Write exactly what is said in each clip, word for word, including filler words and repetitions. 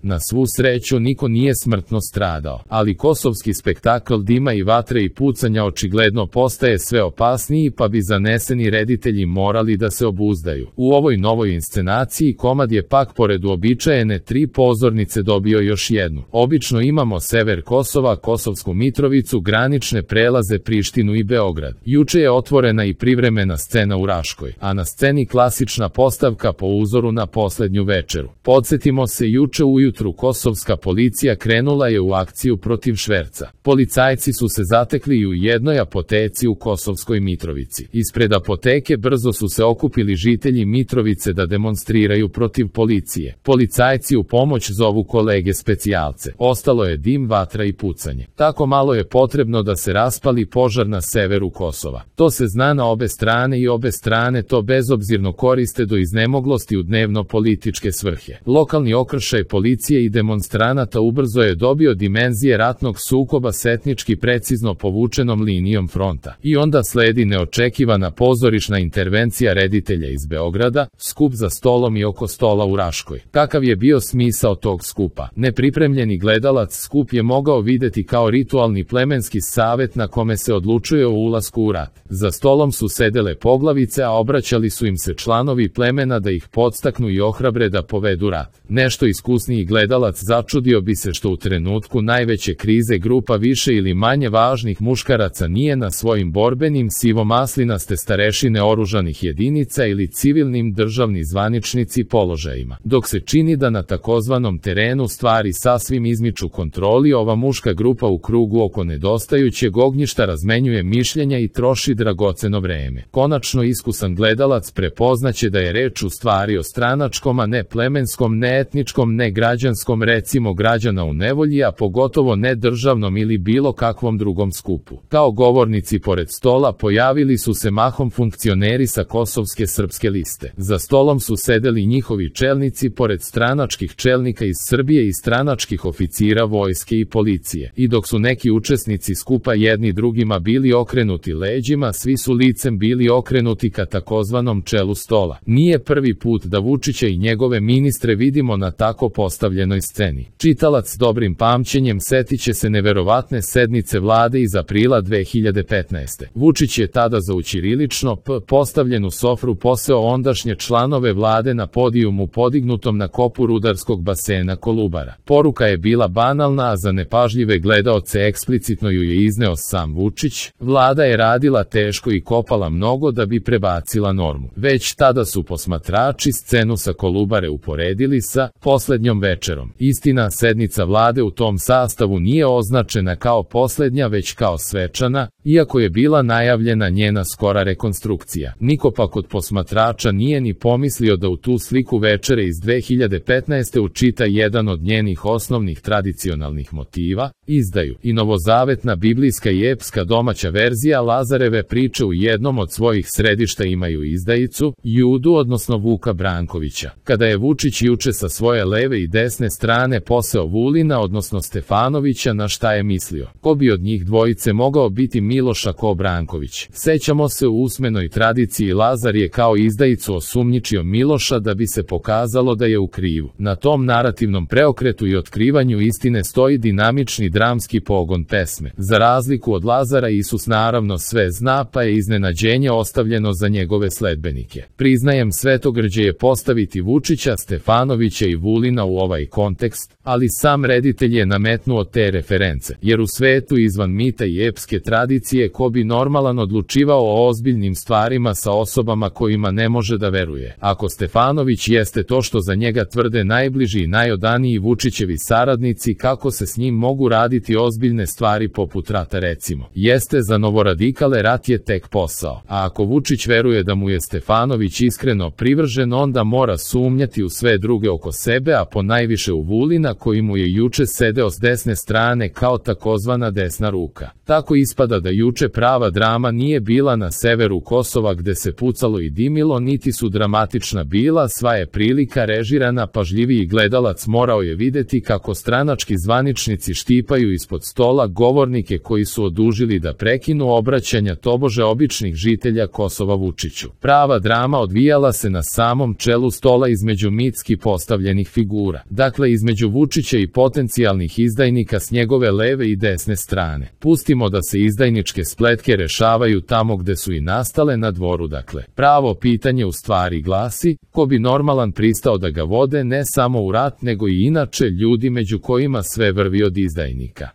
Na svu sreću niko nije smrtno stradao, ali kosovski spektakl dima i vatre i pucanja očigledno postaje sve opasniji, pa bi zaneseni reditelji morali da se obuzdaju. U ovoj novoj inscenaciji komad je pak pored uobičajene tri pozornice dobio još jednu. Obično imamo sever Kosova, Kosovsku Mitrovicu, granične prelaze Prištinu i Beograd. Juče je otvorena i privremena scena u Raškoj, a na sceni klasična postavka po uzoru na poslednju večeru. Podsjetimo se, juče ujutru kosovska policija krenula je u akciju protiv šverca. Policajci su se zatekli i u jednoj apoteci u Kosovskoj Mitrovici. Ispred apoteke brzo su se okupili žitelji Mitrovice da demonstriraju protiv policije. Policajci u pomoć zovu kolege specijalce. Ostalo je dim, vatra i pucanje. Tako malo je potrebno da se raspali požar na severu Kosova. To se zna na obe strane i obe strane to bezobzirno koriste do iznemoglosti u dnevno-političke svrhe. Lokalni okršaj policije i demonstranata ubrzo je dobio dimenzije ratnog sukoba s etnički precizno povučenom linijom fronta. I onda sledi neočekivana pozorišna intervencija reditelja iz Beograda, skup za stolom i oko stola u Raškoj. Kakav je bio smisao tog skupa? Nepripremljeni gledalac skup je mogao videti kao ritualni plemenski savet na kome se odlučuje o ulasku u rat. Za stolom su sedele poglavice, a obraćali su im se članovi plemena da ih podstaknu i ohrabre da povedu rat. Nešto iskusniji gledalac začudio bi se što u trenutku najveće krize grupa više ili manje važnih muškaraca nije na svojim borbenim sivomaslinaste starešine oružanih jedinica ili civilnim državni zvaničnici položajima. Dok se čini da na takozvanom terenu stvari sasvim izmiču kontroli, ova muška grupa u krugu oko nedostajućeg ognjišta razmenjuje mišljenja i troši dragoceno vreme. Konačno iskusan gledalac prepoznaće da je reč u stvari o stranačkom, a ne plemenskom, ne etničkom, ne građanskom, recimo građana u nevolji, a pogotovo ne državnom ili bilo kakvom drugom skupu. Kao govornici pored stola pojavili su se mahom funkcioneri sa kosovske srpske liste. Za stolom su sedeli njihovi čelnici pored stranačkih čelnika iz Srbije i stranačkih oficira vojske i policije. I dok su neki učesnici skupa jedni drugima bili okrenuti leđima, svi su licem bili okrenuti ka takozvanom čelu stola. Nije prvi put da Vučića i njegove ministre vidimo na tako postavljenoj sceni. Čitalac dobrim pamćenjem setiće se neverovatne sednice vlade iz aprila dve hiljade petnaeste. Vučić je tada za u ćirilično p postavljenu sofru poseo ondašnje članove vlade na podijumu podignutom na kopu rudarskog basena Kolubara. Poruka je bila banalna, a za nepažljive gledaoce eksplicitno ju je izneo sam Vučić. Vlada je radila teško i kopala mnogo da bi prebacila normu. Već tada su posmatrači scenu sa Kolubare uporedili sa poslednjom večerom. Istina, sednica vlade u tom sastavu nije označena kao poslednja, već kao svečana, iako je bila najavljena njena skora rekonstrukcija. Niko pak od posmatrača nije ni pomislio da u tu sliku večere iz dve hiljade petnaeste učita jedan od njenih osnovnih tradicionalnih motiva, izdaju. I novozavetna biblijska i epska domaća verzija Lazareve priče u jednom od svojih središta imaju izdajicu, Judu, odnosno Vuka Brankovića. Kada je Vučić juče sa svoje leve i desne strane poseo Vulina, odnosno Stefanovića, na šta je mislio? Ko bi od njih dvojice mogao biti Miloš, a ko Branković? Sećamo se, u usmenoj tradiciji Lazar je kao izdajicu osumnjičio Miloša da bi se pokazalo da je u krivu. Na tom narativnom preokretu i otkrivanju istine stoji dinamični dramski pogon pesme. Za razliku od Lazara, Isus naravno sve zna, pa je iznenađenje ostavljeno za njegove sledbenike. Priznajem, svetogrđe je postaviti Vučića, Stefanovića i Vulina u ovaj kontekst, ali sam reditelj je nametnuo te reference, jer u svetu izvan mita i epske tradicije ko bi normalan odlučivao o ozbiljnim stvarima sa osobama kojima ne može da veruje. Ako Stefanović jeste to što za njega tvrde najbliži i najodaniji Vučićevi saradnici, kako se s njim mogu raditi ozbiljne stvari poput rata, recimo? Jeste, za novoradikale rat je tek posao, a ako Vučić veruje da mu je Stefanović iskreno privržen, onda mora sumnjati u sve druge oko sebe, a ponajviše u Vulina koji mu je juče sedeo s desne strane kao takozvana desna ruka. Tako ispada da juče prava drama nije bila na severu Kosova gde se pucalo i dimilo, niti su dramatična bila, sva je prilika režirana, pažljiviji gledalac morao je videti kako stranački zvaničnici štipaju ispod stola govornike koji su odužili da prekinu obraćanja tobože običnih žitelja Kosova Vučiću. Prava drama odvijala se na samom čelu stola između mitski postavljenih figura. Dakle, između Vučića i potencijalnih izdajnika s njegove leve i desne strane. Pustimo da se izdajničke spletke rešavaju tamo gde su i nastale, na dvoru. Dakle, pravo pitanje u stvari glasi, ko bi normalan pristao da ga vode ne samo u rat, nego i inače ljudi među kojima sve vrvi od izdajnika.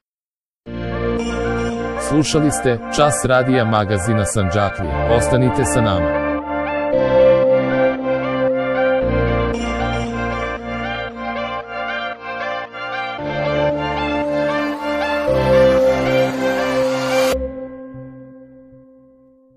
Slušali ste Čas radija magazina Sandžaklija. Ostanite sa nama.